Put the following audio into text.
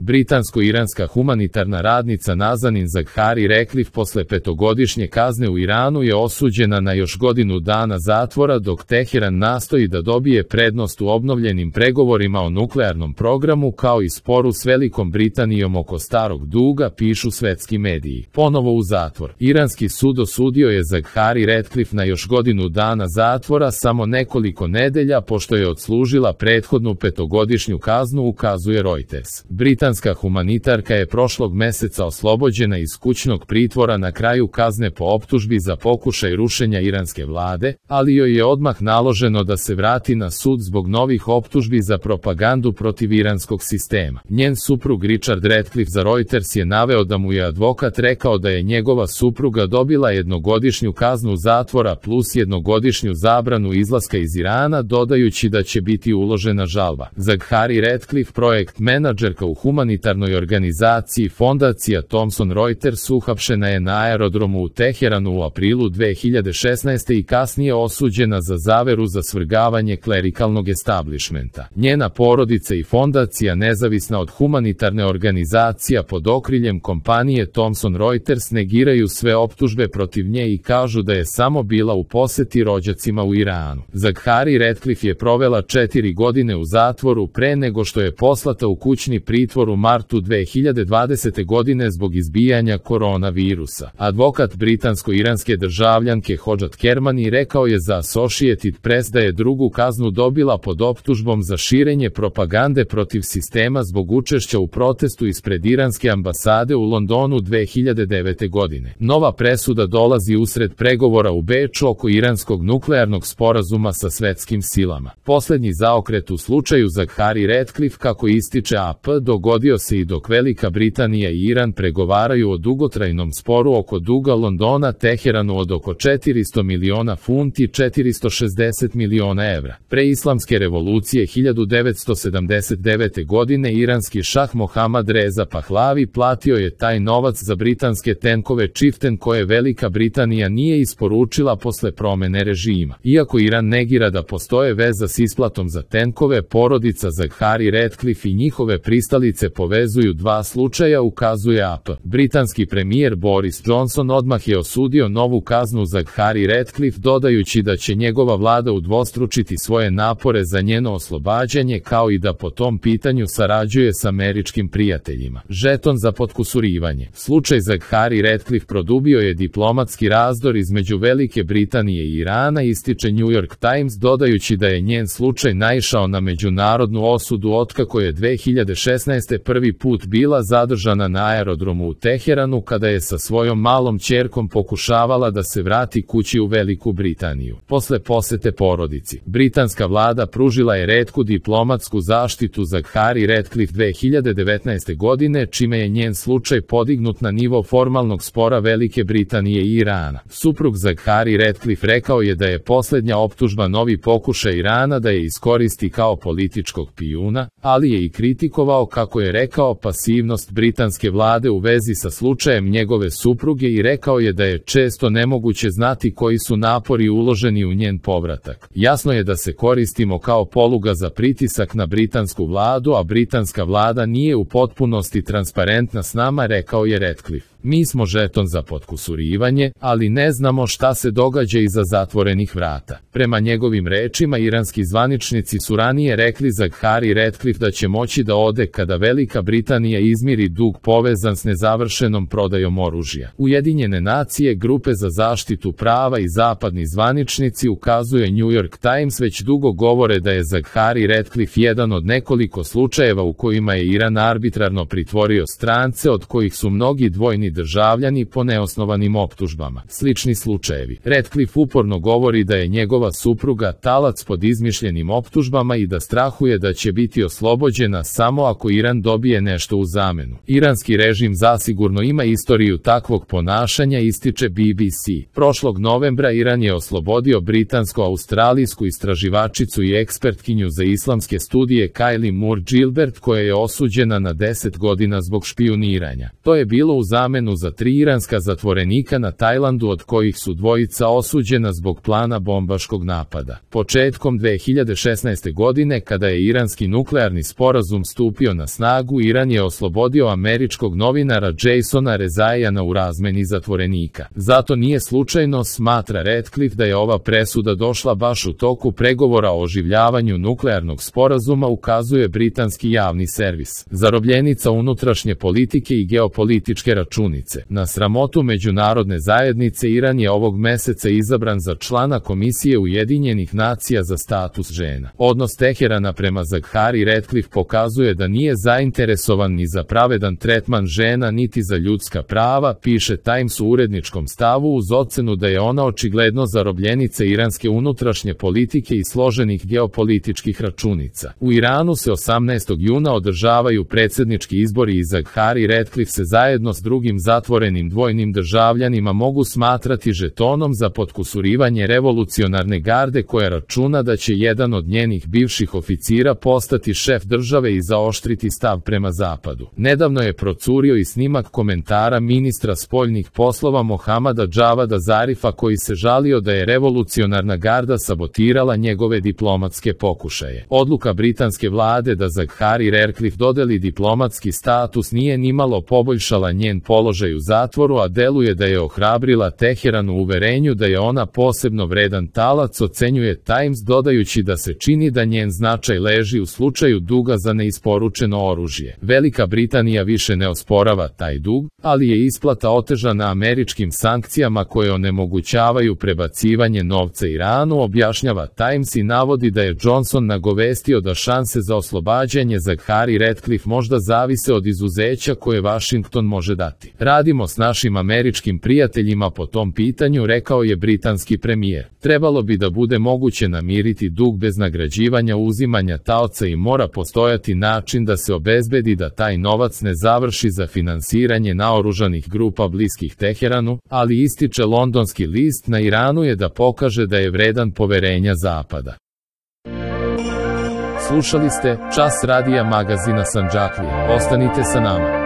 Britansko-iranska humanitarna radnica Nazanin Zaghari Ratcliffe posle 5-godišnje kazne u Iranu je osuđena na još godinu dana zatvora dok Teheran nastoji da dobije prednost u obnovljenim pregovorima o nuklearnom programu kao i sporu s Velikom Britanijom oko starog duga, pišu svetski mediji. Ponovo u zatvor. Iranski sud osudio je Zaghari Ratcliffe na još godinu dana zatvora samo nekoliko nedelja pošto je odslužila prethodnu 5-godišnju kaznu, ukazuje Reuters. Britanska humanitarka je prošlog meseca oslobođena iz kućnog pritvora na kraju kazne po optužbi za pokušaj rušenja iranske vlade, ali joj je odmah naloženo da se vrati na sud zbog novih optužbi za propagandu protiv iranskog sistema. Njen suprug Richard Ratcliffe za Reuters je naveo da mu je advokat rekao da je njegova supruga dobila 1-godišnju kaznu zatvora plus 1-godišnju zabranu izlaska iz Irana, dodajući da će biti uložena žalba. Zaghari Ratcliffe, projekt menadžerka u humanitarnoj organizaciji Fondacija Thomson Reuters, uhapšena je na aerodromu u Teheranu u aprilu 2016. i kasnije osuđena za zaveru za svrgavanje klerikalnog establishmenta. Njena porodica i fondacija, nezavisna od humanitarne organizacija pod okriljem kompanije Thomson Reuters, negiraju sve optužbe protiv nje i kažu da je samo bila u poseti rođacima u Iranu. Zaghari Ratcliffe je provela 4 godine u zatvoru pre nego što je poslata u kućni pritvor u martu 2020. godine zbog izbijanja koronavirusa. Advokat britansko-iranske državljanke Hodžat Kermani rekao je za Associated Press da je drugu kaznu dobila pod optužbom za širenje propagande protiv sistema zbog učešća u protestu ispred iranske ambasade u Londonu 2009. godine. Nova presuda dolazi usred pregovora u Beču oko iranskog nuklearnog sporazuma sa svetskim silama. Poslednji zaokret u slučaju Zaghari Ratcliffe, kako ističe AP, dogodio se i dok Velika Britanija i Iran pregovaraju o dugotrajnom sporu oko duga Londona Teheranu od oko 400 miliona funti, 460 miliona evra. Pre islamske revolucije 1979. godine iranski šah Mohammad Reza Pahlavi platio je taj novac za britanske tenkove Chieftain koje Velika Britanija nije isporučila posle promene režima. Iako Iran negira da postoje veza s isplatom za tenkove, porodica Zaghari Ratcliffe i njihove pristalice povezuju dva slučaja, ukazuje AP. Britanski premijer Boris Johnson odmah je osudio novu kaznu Zaghari Ratcliffe, dodajući da će njegova vlada udvostručiti svoje napore za njeno oslobađanje kao i da po tom pitanju sarađuje s američkim prijateljima. Žeton za potkusurivanje. Slučaj Zaghari Ratcliffe produbio je diplomatski razdor između Velike Britanije i Irana, ističe New York Times, dodajući da je njen slučaj naišao na međunarodnu osudu otkako je 2016. prvi put bila zadržana na aerodromu u Teheranu kada je sa svojom malom ćerkom pokušavala da se vrati kući u Veliku Britaniju. Posle posete porodici, britanska vlada pružila je retku diplomatsku zaštitu Zaghari Ratcliffe 2019. godine, čime je njen slučaj podignut na nivo formalnog spora Velike Britanije i Irana. Suprug Zaghari Ratcliffe rekao je da je poslednja optužba novi pokušaj Irana da je iskoristi kao političkog pijuna, ali je i kritikovao, kako je rekao, pasivnost britanske vlade u vezi sa slučajem njegove supruge i rekao je da je često nemoguće znati koji su napori uloženi u njen povratak. Jasno je da se koristimo kao poluga za pritisak na britansku vladu, a britanska vlada nije u potpunosti transparentna s nama, rekao je Ratcliffe. Mi smo žeton za potkusurivanje, ali ne znamo šta se događa iza zatvorenih vrata. Prema njegovim rečima, iranski zvaničnici su ranije rekli Zaghari Ratcliffe da će moći da ode kada Velika Britanija izmiri dug povezan s nezavršenom prodajom oružja. Ujedinjene nacije, grupe za zaštitu prava i zapadni zvaničnici, ukazuje New York Times, već dugo govore da je Zaghari Ratcliffe jedan od nekoliko slučajeva u kojima je Iran arbitrarno pritvorio strance, od kojih su mnogi dvojni državljani po neosnovanim optužbama. Slični slučajevi. Ratcliffe uporno govori da je njegova supruga talac pod izmišljenim optužbama i da strahuje da će biti oslobođena samo ako Iran dobije nešto u zamenu. Iranski režim zasigurno ima istoriju takvog ponašanja, ističe BBC. Prošlog novembra Iran je oslobodio britansko-australijsku istraživačicu i ekspertkinju za islamske studije Kylie Moore Gilbert, koja je osuđena na 10 godina zbog špijuniranja. To je bilo u zamenu ocenu za 3 iranska zatvorenika na Tajlandu, od kojih su dvojica osuđena zbog plana bombaškog napada. Početkom 2016. godine, kada je iranski nuklearni sporazum stupio na snagu, Iran je oslobodio američkog novinara Jasona Rezaiana u razmeni zatvorenika. Zato nije slučajno, smatra Ratcliffe, da je ova presuda došla baš u toku pregovora o oživljavanju nuklearnog sporazuma, ukazuje britanski javni servis. Zarobljenica unutrašnje politike i geopolitičke računice. Na sramotu međunarodne zajednice, Iran je ovog meseca izabran za člana Komisije Ujedinjenih nacija za status žena. Odnos Teherana prema Zaghari Ratcliffe pokazuje da nije zainteresovan ni za pravedan tretman žena niti za ljudska prava, piše Times u uredničkom stavu, uz ocenu da je ona očigledno zarobljenica iranske unutrašnje politike i složenih geopolitičkih računica. U Iranu se 18. juna održavaju predsjednički izbori i Zaghari Ratcliffe se zajedno s drugim zatvorenim dvojnim državljanima mogu smatrati žetonom za potkusurivanje revolucionarne garde, koja računa da će jedan od njenih bivših oficira postati šef države i zaoštriti stav prema zapadu. Nedavno je procurio i snimak komentara ministra spoljnih poslova Mohamada Javada Zarifa, koji se žalio da je revolucionarna garda sabotirala njegove diplomatske pokušaje. Odluka britanske vlade da Zaghari Ratcliffe dodeli diplomatski status nije nimalo poboljšala njen položaj u zatvoru, a deluje da je ohrabrila Teheran u uverenju da je ona posebno vredan talac, ocenjuje Times, dodajući da se čini da njen značaj leži u slučaju duga za neisporučeno oružje. Velika Britanija više ne osporava taj dug, ali je isplata otežana američkim sankcijama koje onemogućavaju prebacivanje novca Iranu, objašnjava Times, i navodi da je Johnson nagovestio da šanse za oslobađanje Zaghari Ratcliffe možda zavise od izuzeća koje Washington može dati. Radimo s našim američkim prijateljima po tom pitanju, rekao je britanski premijer. Trebalo bi da bude moguće namiriti dug bez nagrađivanja uzimanja taoca i mora postojati način da se obezbedi da taj novac ne završi za finansiranje naoružanih grupa bliskih Teheranu, ali ističe londonski list, na Iranu je da pokaže da je vredan poverenja Zapada. Slušali ste Čas radija magazina Sandžaklija. Ostanite sa nama.